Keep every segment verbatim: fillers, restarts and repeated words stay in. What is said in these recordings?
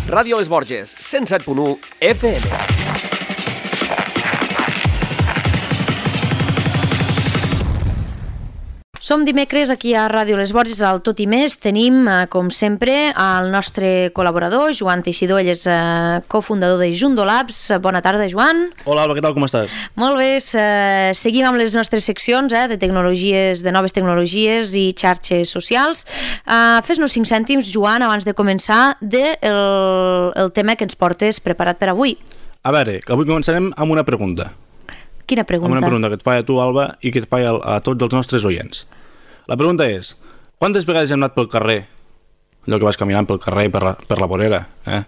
Ràdio Les Borges, cent set punt u F M. Som dimecres aquí a Ràdio Les Borges, al Tot i Més. Tenim, com sempre, el nostre col·laborador, Joan Teixidor. Ell és eh, cofundador de Jundo Labs. Bona tarda, Joan. Hola, Alba, què tal, com estàs? Molt bé, eh, seguim amb les nostres seccions eh, de tecnologies, de noves tecnologies i xarxes socials. Eh, Fes-nos cinc cèntims, Joan, abans de començar, del de el tema que ens portes preparat per avui. A veure, avui començarem amb una pregunta. Quina pregunta? Amb una pregunta que et faig a tu, Alba, i que et faig a, a tots els nostres oients. La pregunta és, quantes vegades hem anat pel carrer, allò que vas caminant pel carrer, per la, per la vorera, eh?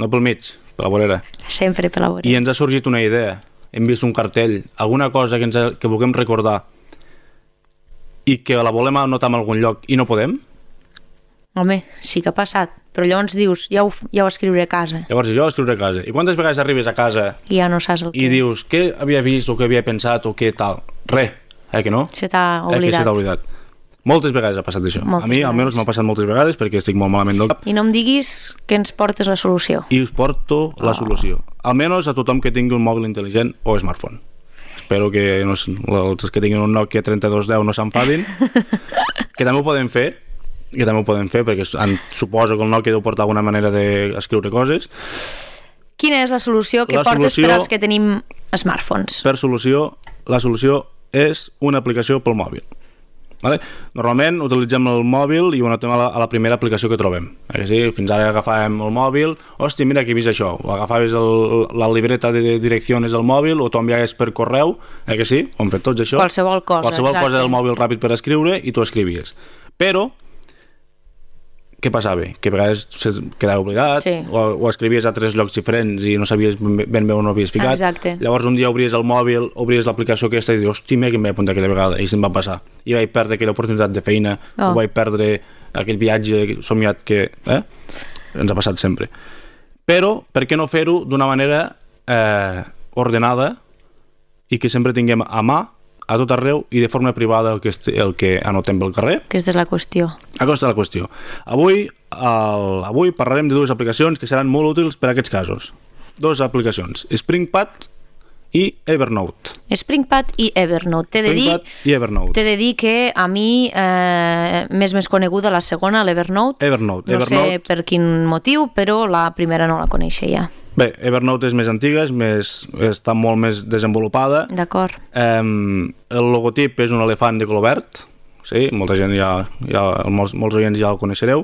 No pel mig, per la vorera. Sempre per la vorera. I ens ha sorgit una idea, hem vist un cartell, alguna cosa que, ens ha, que vulguem recordar i que la volem anotar en algun lloc i no podem? Home, sí que ha passat, però llavors dius, ja ho, ja ho escriuré a casa. Llavors jo ho escriuré a casa. I quantes vegades arribes a casa i ja no saps el que... i dius, què havia vist o què havia pensat o què tal? Res, eh que no? Se t'ha oblidat. Eh que se t'ha oblidat. Moltes vegades ha passat això. Moltes a mi vegades. almenys m'ha passat moltes vegades perquè estic molt malament del cap. I no em diguis que ens portes la solució. I us porto la solució. Almenys a tothom que tingui un mòbil intel·ligent o smartphone. Espero que no, els que tinguin un Nokia trenta-dos deu no s'enfadin. Que també ho podem fer, que també ho podem fer perquè suposo que el Nokia deu portar alguna manera d'escriure coses. Quina és la solució que la portes solució, per als que tenim smartphones? Per solució, la solució és una aplicació pel mòbil. Vale? Normalment utilitzem el mòbil i ho anotem a la, a la primera aplicació que trobem. Eh, sí? Fins ara agafàvem el mòbil, hòstia, mira que he vist això, o agafaves el, la libreta de direccions del mòbil o t'ho enviaves per correu, eh que sí? Ho hem fet tots això. Qualsevol cosa, Qualsevol exacte. cosa del mòbil ràpid per escriure i tu escrivies. Però què passava? Que a vegades se quedava oblidat, sí. o, o escrivies a tres llocs diferents i no sabies ben bé on ho havies ficat. Exacte. Llavors un dia obries el mòbil, obries l'aplicació aquesta i dius, hòstia, mira que em vaig apuntar aquella vegada, i se'm va passar. I vaig perdre aquella oportunitat de feina, oh. o vaig perdre aquell viatge somiat que eh? ens ha passat sempre. Però, per què no fer-ho d'una manera eh, ordenada i que sempre tinguem a mà, a tot arreu i de forma privada el que, el que anotem pel carrer? Aquesta és la qüestió. Aquesta és la qüestió. Avui, el, avui parlarem de dues aplicacions que seran molt útils per a aquests casos. Dues aplicacions, SpringPad i Evernote. SpringPad i Evernote. T'he de dir, i Evernote. T'he de dir que a mi eh, m'és més coneguda la segona, l'Evernote. Evernote. No Evernote. sé per quin motiu, però la primera no la coneixia. Bé, Evernote és més antiga, és més, està molt més desenvolupada. D'acord. Eh, el logotip és un elefant de color verd, sí, molta gent ja, ja molts, molts oients ja el coneixereu.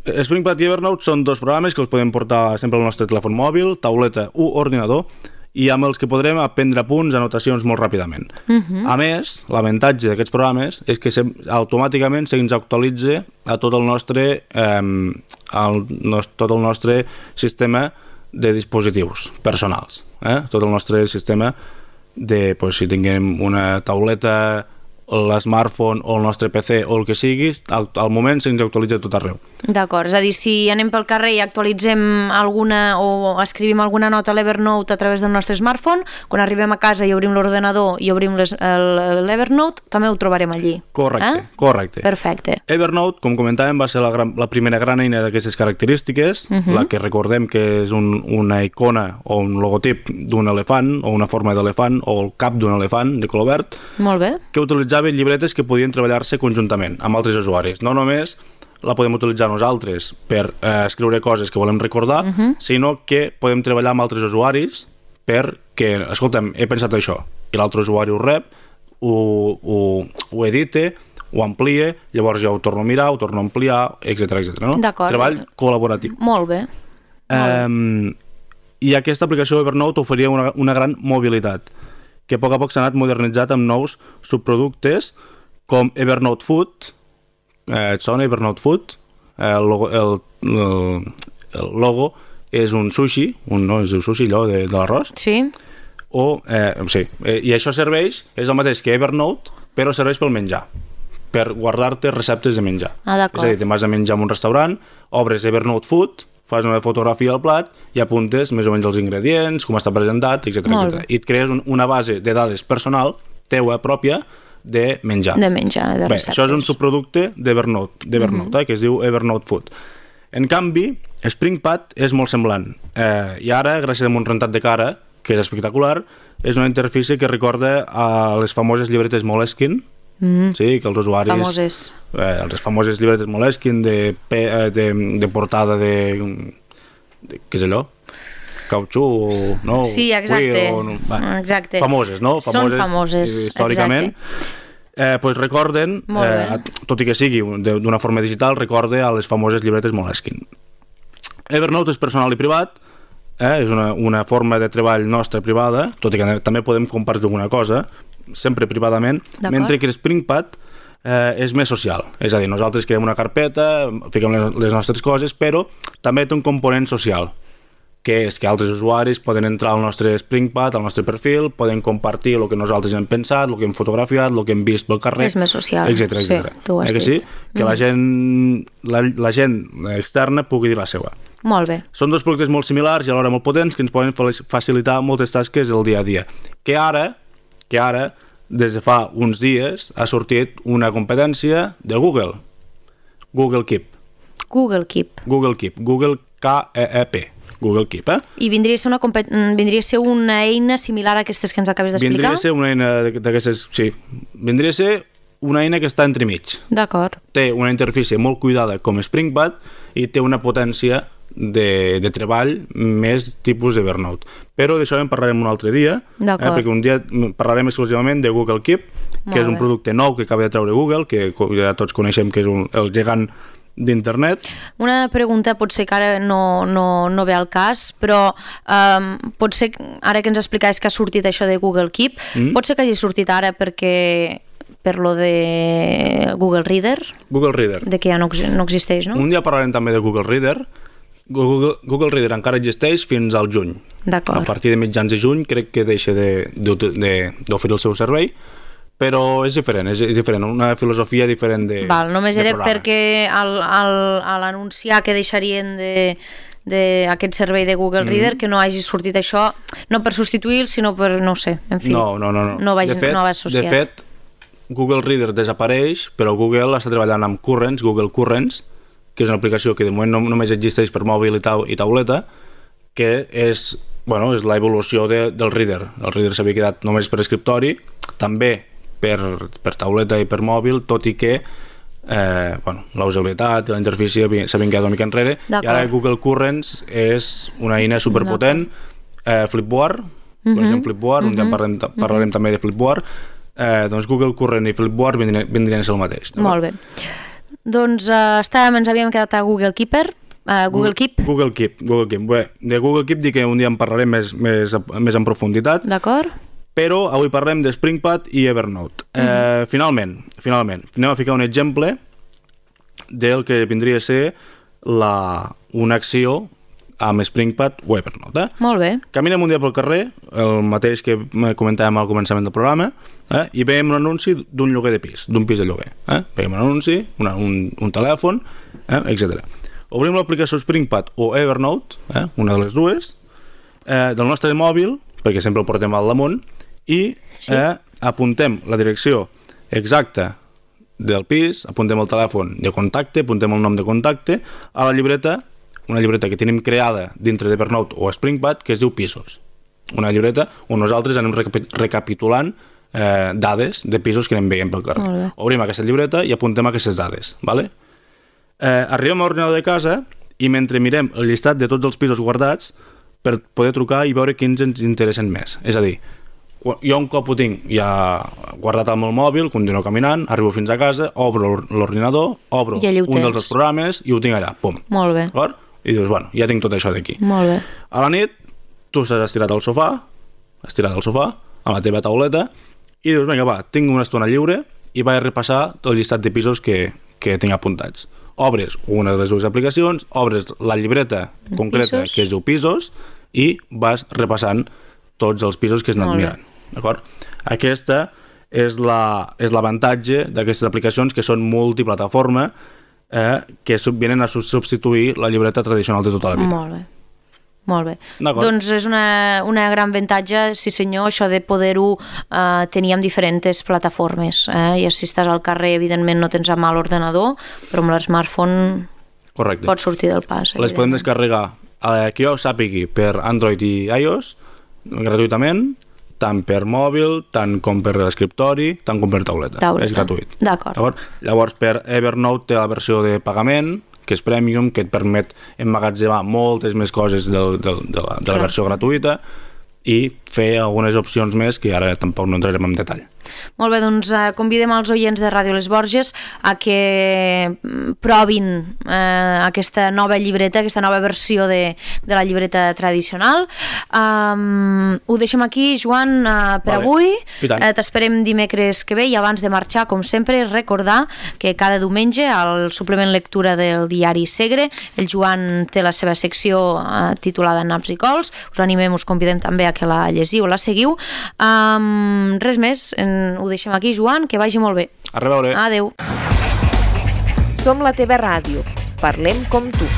SpringPad i Evernote són dos programes que els podem portar sempre al nostre telèfon mòbil, tauleta o ordinador, i amb els que podrem aprendre punts, anotacions molt ràpidament. Uh-huh. A més, l'avantatge d'aquests programes és que se, automàticament se'ns actualitza a tot el nostre, eh, el, tot el nostre sistema de dispositius personals, eh? Tot el nostre sistema de, pues, si tinguem una tauleta, l'smartphone o el nostre P C o el que sigui, al, al moment se'ns actualitza tot arreu. D'acord, és a dir, si anem pel carrer i actualitzem alguna o escrivim alguna nota a l'Evernote a través del nostre smartphone, quan arribem a casa i obrim l'ordenador i obrim l'Evernote, també ho trobarem allí. Correcte, eh? correcte. Perfecte. Evernote, com comentàvem, va ser la, gran, la primera gran eina d'aquestes característiques, uh-huh. la que recordem que és un, una icona o un logotip d'un elefant o una forma d'elefant o el cap d'un elefant de color verd. Molt bé. Que utilitzava llibretes que podien treballar-se conjuntament amb altres usuaris. No només la podem utilitzar nosaltres per eh, escriure coses que volem recordar, uh-huh. sinó que podem treballar amb altres usuaris perquè, escolta'm, he pensat això, i l'altre usuari ho rep, ho, ho, ho edite, ho amplia, llavors ja ho torno a mirar, ho torno a ampliar, etcètera, etcètera. No? D'acord. Treball col·laboratiu. Molt bé. Um, I aquesta aplicació Evernote oferia una, una gran mobilitat, que a poc a poc s'ha anat modernitzat amb nous subproductes com Evernote Food, eh, et sona Evernote Food? El logo, el, el, el logo és un sushi, un, no, és un sushi allò de, de l'arròs. Sí. O, eh, sí, eh, i això serveix, és el mateix que Evernote, però serveix pel menjar, per guardar-te receptes de menjar. Ah, d'acord. És a dir, te'n vas a menjar en un restaurant, obres Evernote Food, fas una fotografia al plat i apuntes més o menys els ingredients, com està presentat, etcètera, etcètera. I et crees un, una base de dades personal, teua pròpia, de menjar. De menjar, de Bé, receptes. això és un subproducte d'Evernote, d'Evernote mm-hmm. eh, que es diu Evernote Food. En canvi, SpringPad és molt semblant. Eh, I ara, gràcies a un rentat de cara, que és espectacular, és una interfície que recorda a les famoses llibretes Moleskine, mm. sí, que els usuaris... Famoses. Eh, les famoses llibretes Moleskine de, de, de portada de, de... què és allò? Cautxú, no? Sí, exacte. Cuir, o, va, exacte. Famoses, no? Famoses, Són famoses, històricament. Exacte. Eh, pues recorden, eh, tot i que sigui d'una forma digital, recorde a les famoses llibretes Moleskine. Evernote és personal i privat, eh, és una, una forma de treball nostra privada, tot i que també podem compartir alguna cosa, sempre privadament, mentre que SpringPad eh, és més social. És a dir, nosaltres creem una carpeta, fiquem les, les nostres coses, però també té un component social, que és que altres usuaris poden entrar al nostre SpringPad, al nostre perfil, poden compartir el que nosaltres hem pensat, el que hem fotografiat, el que hem vist pel carrer, és més social, etcètera, sí, etcètera. tu ho has eh que dit. sí? Que mm. la, gent, la, la gent externa pugui dir la seva. Molt bé. Són dos productes molt similars i alhora molt potents que ens poden facilitar moltes tasques del dia a dia. Que ara, que ara, des de fa uns dies, ha sortit una competència de Google. Google Keep. Google Keep. Google Keep. Google K E E P. Google Keep, eh? I vindria a ser una, compet... vindria a ser una eina similar a aquestes que ens acabes d'explicar? Vindria a ser una eina d'aquestes... Sí. Vindria a ser una eina que està entremig. D'acord. Té una interfície molt cuidada com SpringPad i té una potència de, de treball més tipus Evernote. Però d'això en parlarem un altre dia, eh, perquè un dia parlarem exclusivament de Google Keep, que molt és un bé. producte nou que acaba de treure Google, que ja tots coneixem que és un, el gegant d'internet. Una pregunta potser que ara no, no, no ve al cas, però um, pot ser, ara que ens explicaves que ha sortit això de Google Keep, mm. pot ser que hagi sortit ara perquè per lo de Google Reader? Google Reader. De que ja no, no existeix, no? Un dia parlarem també de Google Reader. Google, Google Reader encara existeix fins al juny. D'acord. A partir de mitjans de juny crec que deixa d'oferir el seu servei, però és diferent, és, és diferent, una filosofia diferent de Val, només de era programa. perquè al, al, a l'anunciar que deixarien de d'aquest servei de Google Reader, mm. que no hagi sortit això, no per substituir, sinó per, no sé, en fi, no, no, no, no. no vaig, de fet, no va associar. De fet, Google Reader desapareix, però Google està treballant amb Currents, Google Currents, que és una aplicació que de moment no, només existeix per mòbil i, tau, i tauleta, que és, bueno, és l'evolució de, del Reader. El Reader s'havia quedat només per escriptori, també per, per tauleta i per mòbil, tot i que eh, bueno, la usabilitat i la interfície s'havien quedat una mica enrere, i ara Google Currents és una eina superpotent. eh, Flipboard, mm-hmm. coneixem Flipboard, mm-hmm. un dia parlarem, parlarem mm-hmm. també de Flipboard. Eh, doncs Google Current i Flipboard vindrien, vindrien a ser el mateix. Molt bé. Doncs uh, estàvem, ens havíem quedat a Google Keeper, uh, Google Keep. Google Keep, Google Keep. Bé, de Google Keep dic que un dia en parlarem més, més, més en profunditat. D'acord. Però avui parlem de SpringPad i Evernote. Mm. Eh, finalment, finalment, anem a ficar un exemple del que vindria a ser la, una acció amb SpringPad o Evernote. Eh? Molt bé. Caminem un dia pel carrer, el mateix que comentàvem al començament del programa, eh? i veiem un anunci d'un lloguer de pis, d'un pis de lloguer. Eh? Veiem un anunci, una, un, un telèfon, eh? etcètera. Obrim l'aplicació SpringPad o Evernote, eh? una de les dues, eh, del nostre mòbil, perquè sempre el portem al damunt, i sí. eh, apuntem la direcció exacta del pis, apuntem el telèfon de contacte, apuntem el nom de contacte, a la llibreta, una llibreta que tenim creada dintre d'Evernote o SpringPad que es diu Pisos. Una llibreta on nosaltres anem recapitulant eh, dades de pisos que anem veient pel carrer. Obrim aquesta llibreta i apuntem aquestes dades. Vale? Eh, arribem a l'ordinador de casa i mentre mirem el llistat de tots els pisos guardats per poder trucar i veure quins ens interessen més. És a dir, jo un cop ho tinc ja guardat al meu mòbil, continuo caminant, arribo fins a casa, obro l'ordinador, obro un dels programes i ho tinc allà, pum. Molt bé. D'acord? I dius, bueno, ja tinc tot això d'aquí. Molt bé. A la nit, tu estàs estirat al sofà, estirat al sofà, amb la teva tauleta, i dius, vinga, va, tinc una estona lliure i vaig a repassar tot el llistat de pisos que, que tinc apuntats. Obres una de les dues aplicacions, obres la llibreta concreta pisos. Que es diu Pisos i vas repassant tots els pisos que has anat mirant. D'acord? Aquesta és la, és l'avantatge d'aquestes aplicacions que són multiplataforma, eh, que vienen a substituir la llibreta tradicional de tota la vida. Molt bé. Molt bé. Doncs és una, una gran avantatge, sí senyor, això de poder-ho eh, tenir en diferents plataformes. Eh? I si estàs al carrer, evidentment no tens a mà l'ordenador, però amb l'smartphone Correcte. pot sortir del pas. Les podem descarregar, eh, que jo sàpigui, per Android i iOS, gratuïtament, tant per mòbil, tant com per l'escriptori, tant com per tauleta. Tauleta. És gratuït. D'acord. Llavors, per Evernote té la versió de pagament, que és Premium, que et permet emmagatzemar moltes més coses del, del, de, la, de la versió gratuïta i fer algunes opcions més que ara tampoc no entrarem en detall. Molt bé, doncs eh, convidem els oients de Ràdio Les Borges a que provin eh, aquesta nova llibreta, aquesta nova versió de, de la llibreta tradicional. Um, ho deixem aquí, Joan, uh, per vale. avui. Eh, T'esperem dimecres que ve i abans de marxar, com sempre, recordar que cada diumenge al suplement lectura del diari Segre el Joan té la seva secció uh, titulada Naps i Cols. Us animem, us convidem també a que la llegiu o la seguiu. Um, res més, en ho deixem aquí, Joan, que vagi molt bé. A reveure. Adeu. Som la teva ràdio. Parlem com tu.